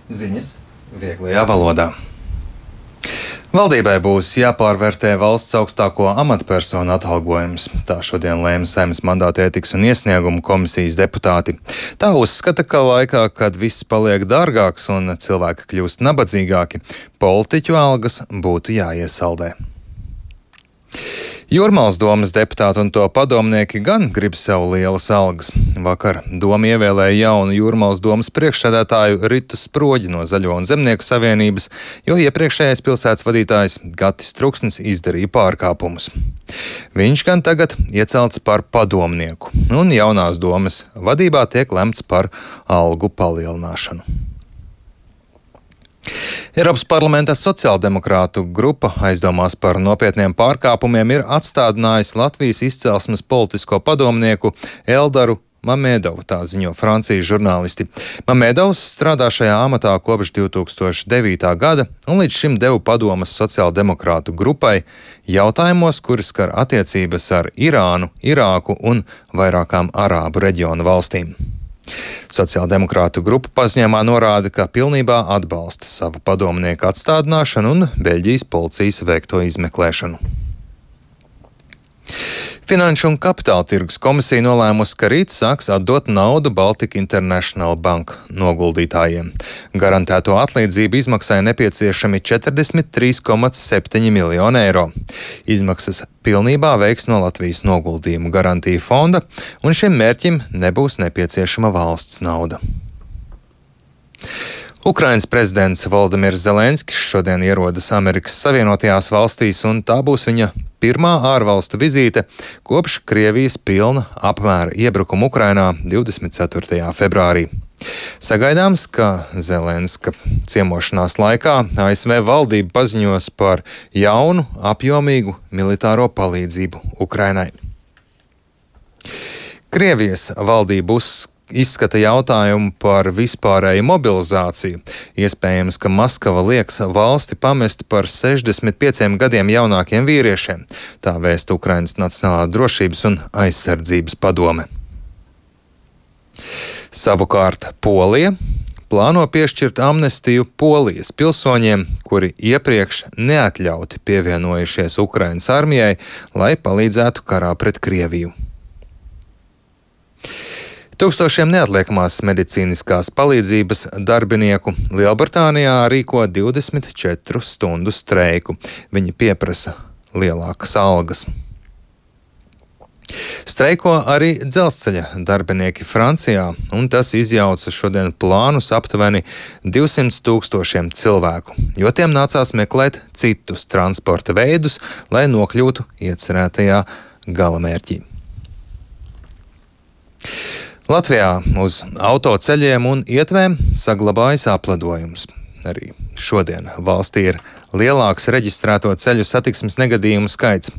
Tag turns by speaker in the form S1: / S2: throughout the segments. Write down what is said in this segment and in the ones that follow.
S1: Ziņas vieglajā valodā. Valdībai būs jāpārvērtē valsts augstāko amatpersonu atalgojums. Tā šodien lēma Saeimas mandāta ētikas un iesniegumu komisijas deputāti. Tā uzskata, ka laikā, kad viss paliek dārgāks un cilvēki kļūst nabadzīgāki, politiķu algas būtu jāiesaldē. Jūrmālas domes deputāti un to padomnieki gan grib sev lielas algas. Vakar doma ievēlēja jaunu Jūrmālas domes priekšsēdētāju Ritu Sproģi no Zaļo un Zemnieku savienības, jo iepriekšējais pilsētas vadītājs Gatis Truksnis izdarīja pārkāpumus. Viņš gan tagad iecelts par padomnieku, un jaunās domes vadībā tiek lemts par algu palielināšanu. Eiropas parlamenta sociāldemokrātu grupa aizdomās par nopietniem pārkāpumiem ir atstādinājusi Latvijas izcelsmes politisko padomnieku Eldaru Mamedovu, tā ziņo Francijas žurnālisti. Mamedovs strādā šajā amatā kopš 2009. gada un līdz šim deva padomas sociāldemokrātu grupai jautājumos, kuri skar attiecības ar Irānu, Irāku un vairākām Arābu reģionu valstīm. Sociāldemokrātu grupa paziņojumā norāda, ka pilnībā atbalsta savu padomnieku atstādināšanu un Beļģijas policijas veikto izmeklēšanu. Finanšu un kapitāla tirgus komisija nolēmusi, ka rīt sāks atdot naudu Baltic International Bank noguldītājiem. Garantēto atlīdzību izmaksai nepieciešami 43,7 miljoni eiro. Izmaksas pilnībā veiks no Latvijas noguldījumu garantiju fonda, un šim mērķim nebūs nepieciešama valsts nauda. Ukrainas prezidents Volodimirs Zelenskis šodien ierodas Amerikas Savienotajās valstīs, un tā būs viņa pirmā ārvalstu vizīte kopš Krievijas pilna apmēra iebrukuma Ukrainā 24. februārī. Sagaidāms, ka Zelenska ciemošanās laikā ASV valdība paziņos par jaunu, apjomīgu militāro palīdzību Ukrainai. Krievijas valdība izskata jautājumu par vispārēju mobilizāciju. Iespējams, ka Maskava lieks valsti pamest par 65 gadiem jaunākiem vīriešiem. Tā vēsta Ukrainas Nacionālā drošības un aizsardzības padome. Savukārt Polija plāno piešķirt amnestiju Polijas pilsoņiem, kuri iepriekš neatļauti pievienojušies Ukrainas armijai, lai palīdzētu karā pret Krieviju. Tūkstošiem neatliekamās medicīniskās palīdzības darbinieku Lielbritānijā rīko 24 stundu streiku. Viņi pieprasa lielākas algas. Streiko arī dzelzceļa darbinieki Francijā, un tas izjauca šodien plānus aptuveni 200 000 cilvēku, jo tiem nācās meklēt citus transporta veidus, lai nokļūtu iecerētajā galamērķī. Latvijā uz autoceļiem un ietvēm saglabājas apledojums. Arī šodien valstī ir lielāks reģistrēto ceļu satiksmes negadījumu skaits.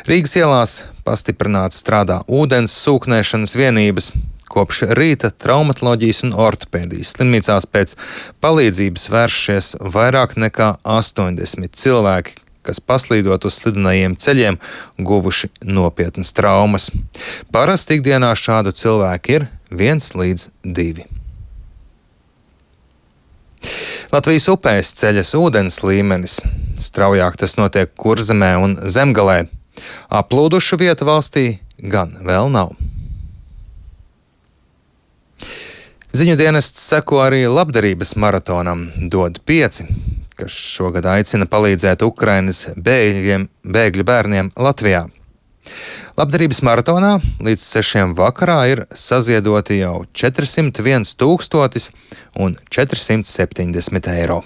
S1: Rīgas ielās pastiprināti strādā ūdens sūknēšanas vienības. Kopš rīta traumatoloģijas un ortopēdijas slimnīcās pēc palīdzības vēršies vairāk nekā 80 cilvēki, kas paslīdot uz slidenajiem ceļiem, guvuši nopietnas traumas. Parasti ikdienā šādu cilvēku ir 1 līdz 2. Latvijas upēs ceļas ūdens līmenis. Straujāk tas notiek Kurzemē un Zemgalē. Aplūdušu vietu valstī gan vēl nav. Ziņu dienests seko arī labdarības maratonam Dod 5, kas šogad aicina palīdzēt Ukrainas bēgļu bērniem Latvijā. Labdarības maratonā līdz 6 vakarā ir saziedoti jau 401 470 eiro.